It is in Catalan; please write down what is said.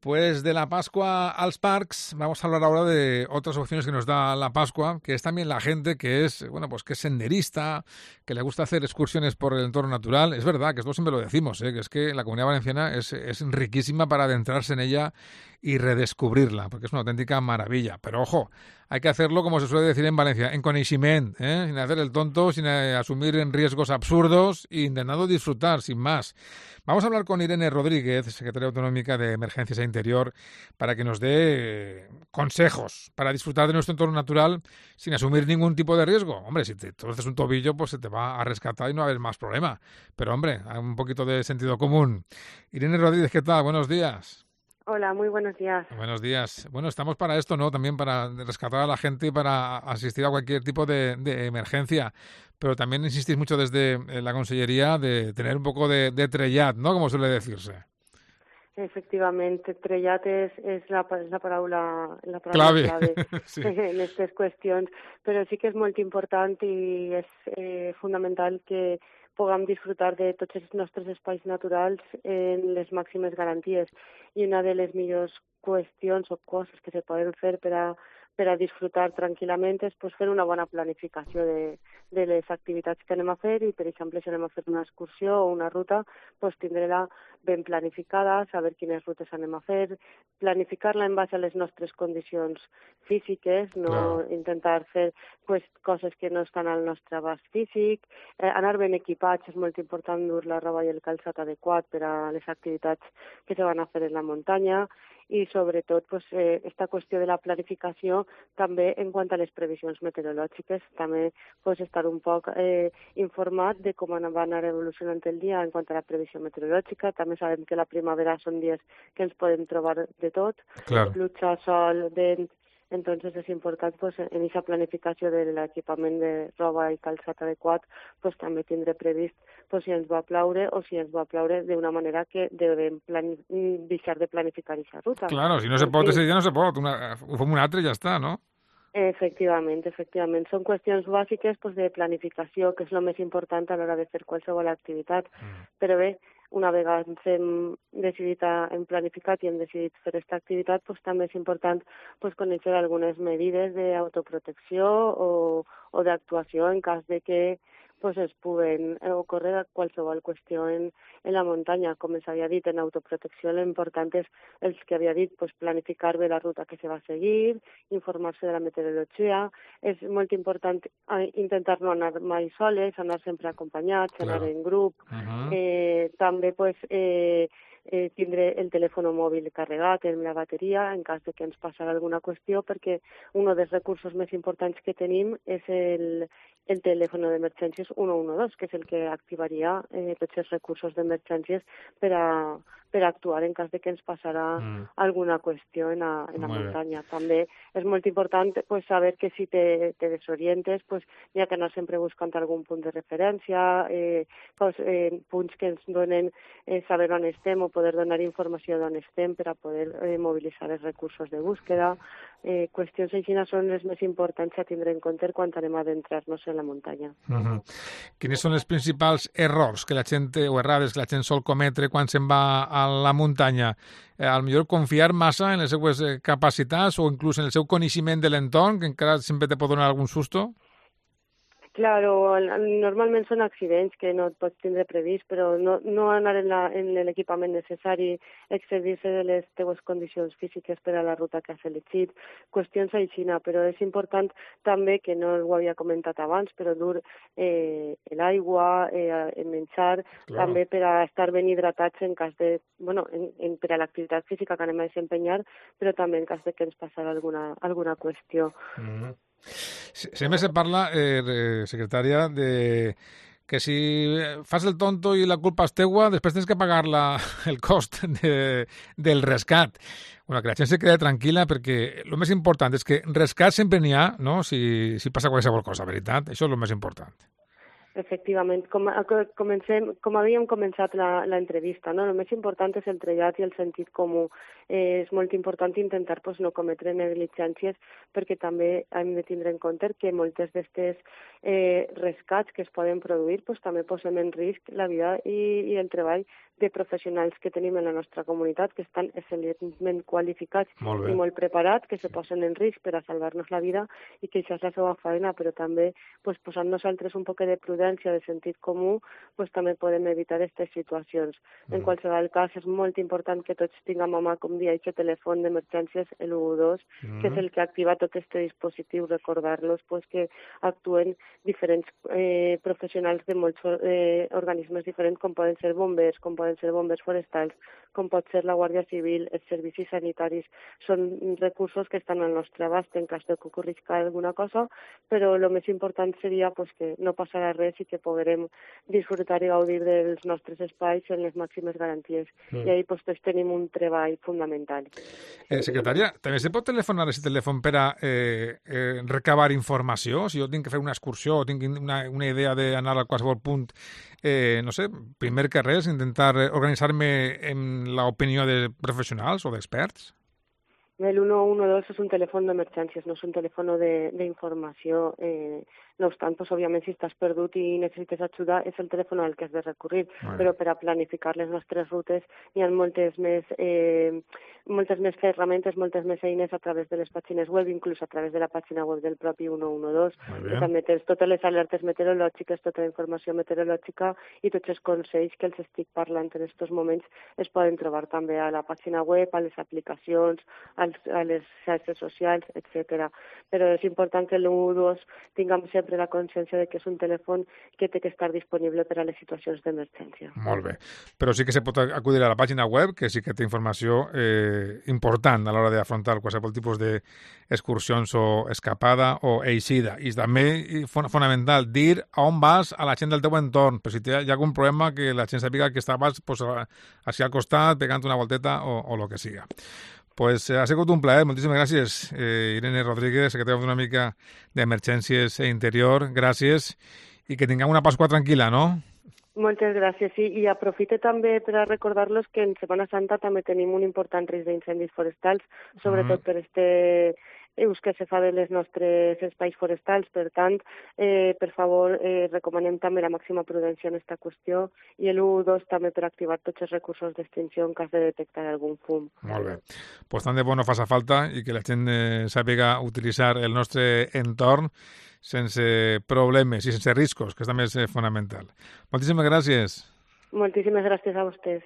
Pues de la Pascua als parcs, vamos a hablar ahora de otras opciones que nos da la Pascua, que es también la gente que es, bueno, pues que es senderista, que le gusta hacer excursiones por el entorno natural. Es verdad que esto siempre lo decimos, que es que la Comunidad Valenciana es riquísima para adentrarse en ella y redescubrirla, porque es una auténtica maravilla. Pero ojo, hay que hacerlo, como se suele decir en Valencia, en coneixement, sin hacer el tonto, sin asumir en riesgos absurdos e intentando disfrutar, sin más. Vamos a hablar con Irene Rodríguez, secretaria autonómica de Emergencias e Interior, para que nos dé consejos para disfrutar de nuestro entorno natural sin asumir ningún tipo de riesgo. Hombre, si te torces un tobillo, pues se te va a rescatar y no va a haber más problema. Pero, hombre, hay un poquito de sentido común. Irene Rodríguez, ¿qué tal? Buenos días. Hola, muy buenos días. Buenos días. Bueno, estamos para esto, ¿no? También para rescatar a la gente y para asistir a cualquier tipo de emergencia. Pero también insistís mucho desde la Consellería de tener un poco de trellat, ¿no? Como suele decirse. Efectivamente, trellat és la paraula clave sí. En aquestes qüestions, però sí que és molt important i és fundamental que puguem disfrutar de tots els nostres espais naturals en les màximes garanties. I una de les millors qüestions o coses que se poden fer per a disfrutar tranquil·lament és pues, fer una bona planificació de les activitats que anem a fer i, per exemple, si anem a fer una excursió o una ruta, pues, tindre-la ben planificada, saber quines rutes anem a fer, planificar-la en base a les nostres condicions físiques, no intentar fer pues, coses que no estan al nostre abast físic, anar ben equipats, és molt important dur la roba i el calçat adequat per a les activitats que se van a fer en la muntanya, i sobretot pues, esta qüestió de la planificació també en quant a les previsions meteorològiques, també pues, estar un poc informat de com va anar evolucionant el dia en quant a la previsió meteorològica. També sabem que la primavera són dies que ens podem trobar de tot, pluja, sol, vent. Entonces es important pues, en aquesta planificació de l'equipament de roba i calçat adequat pues, també tindre previst pues, si ens va ploure o si ens va ploure d'una manera que devem deixar de planificar aquesta ruta. Claro, si no se pot ese dia no se pot, ho fem un altre i ja està, no? Efectivament. Són qüestions bàsiques pues, de planificació, que és el més important a l'hora de fer qualsevol activitat. Però bé, una vegada ens hem decidit, hem planificat i hem decidit fer aquesta activitat, pues, també és important pues, conèixer algunes mesures d'autoprotecció o d'actuació en cas de que pues, es puguen ocórrer qualsevol qüestió en la muntanya. Com s'havia dit, en autoprotecció l'important és els que havia dit, pues, planificar bé la ruta que se va seguir, informar-se de la meteorologia. És molt important intentar no anar mai soles, anar sempre acompanyats, anar en grup. També pues, tindre el telèfon mòbil carregat en la bateria en cas de que ens passarà alguna qüestió, perquè un dels recursos més importants que tenim és el telèfon d'emergències 112, que és el que activaria tots els recursos d'emergències per a actuar en cas de que ens passarà alguna qüestió en la muntanya. També és molt important pues, saber que si te desorientes, pues, hi ha que anar sempre buscant algun punt de referència, punts que ens donen saber on estem o poder donar informació d'on estem per a poder mobilitzar els recursos de búsqueda. Qüestions així són les més importants a tindre en compte quan anem a adentrar-nos en la muntanya. Quins són els principals errors que la gent, o errades que la gent sol cometre quan se'n va a la muntanya? Al millor confiar massa en les seues capacitats o inclús en el seu coneixement de l'entorn, que encara sempre te pot donar algun susto? Claro, normalment són accidents que no et pots tindre previst, però no anar en l'equipament necessari, excedir-se de les teues condicions físiques per a la ruta que has elegit, qüestions així, però és important també, que no ho havia comentat abans, però dur l'aigua, el menjar, també per a estar ben hidratats en cas de, per a l'activitat física que anem a desempenyar, però també en cas de que ens passarà alguna qüestió. Sempre se parla, secretària, de que si fas el tonto i la culpa és teua, després tens que pagar el cost del rescat. Bueno, que la gent se quede tranquil·la, perquè el més important és que rescat sempre n'hi ha, no? Si passa qualsevol cosa, veritat? Això és el més important. Efectivament, com havíem començat l'entrevista, no? El més important és el trellat i el sentit comú. És molt important intentar no cometre negligències, perquè també hem de tindre en compte que moltes d'aquestes rescats que es poden produir també posem en risc la vida i el treball de professionals que tenim en la nostra comunitat, que estan excel·lentment qualificats i molt preparats, que se posen en risc per a salvar-nos la vida i que això és la seva feina, però també pues, posant nosaltres un poc de prudència, de sentit comú, pues, també podem evitar aquestes situacions. En qualsevol cas, és molt important que tots tinguem a mà, com dia, aquest telèfon d'emergències, el 112, que és el que activa tot aquest dispositiu, recordar-los pues, que actuen diferents professionals de molts organismes diferents, com poden ser bombers, com poden ser bombers forestals, com pot ser la Guàrdia Civil, els servicis sanitaris. Són recursos que estan al nostre abast en cas de que ocorrisca alguna cosa, però el més important seria pues, que no passarà res i que podrem disfrutar i gaudir dels nostres espais en les màximes garanties. I ahí pues, tots tenim un treball fundamental. Secretària, també se pot telefonar a aquest telèfon per a recabar informació? Si jo tinc que fer una excursió o tinc una idea d'anar a qualsevol punt, no sé, primer que res, intentar organitzar-me en l'opinió de professionals o d'experts? El 112 és un telèfon d'emergències, no és un telèfon d'informació. No obstant, pues, òbviament, si estàs perdut i necessites ajuda, és el telèfon al que has de recurrir. Però per a planificar les nostres rutes hi ha moltes més ferramentes, moltes més eines a través de les pàgines web, inclús a través de la pàgina web del propi 112. Que també tens totes les alertes meteorològiques, tota la informació meteorològica i tots els consells que els estic parlant en aquests moments es poden trobar també a la pàgina web, a les aplicacions, a les xarxes socials, etc. Però és important que el 112 tinguem sempre la consciència de que és un telèfon que té que estar disponible per a les situacions d'emergència. Molt bé. Però sí que se pot acudir a la pàgina web, que sí que té informació important a l'hora d'afrontar qualsevol tipus d'excursions o escapada o eixida. I també, fonamental, dir on vas a la gent del teu entorn, per si hi ha algun problema que la gent sàpiga que estaves pues, així al costat, pegant una volteta o lo que siga. Pues ha sigut un plaer. Moltíssimes gràcies, Irene Rodríguez, secretària d'una mica d'Emergències e Interior. Gràcies i que tinguem una Pasqua tranquil·la, no? Moltes gràcies, sí. I aprofite també per a recordar-los que en Setmana Santa també tenim un important risc d'incendis forestals, sobretot per ús que se fa de les nostres espais forestals. Per tant, per favor, recomanem també la màxima prudència en aquesta qüestió i l'112 també per activar tots els recursos d'extinció en cas de detectar algun fum. Molt bé. Pues tant de bo no faça falta i que la gent sàpiga utilitzar el nostre entorn sense problemes i sense riscos, que també és fonamental. Moltíssimes gràcies. Moltíssimes gràcies a vostès.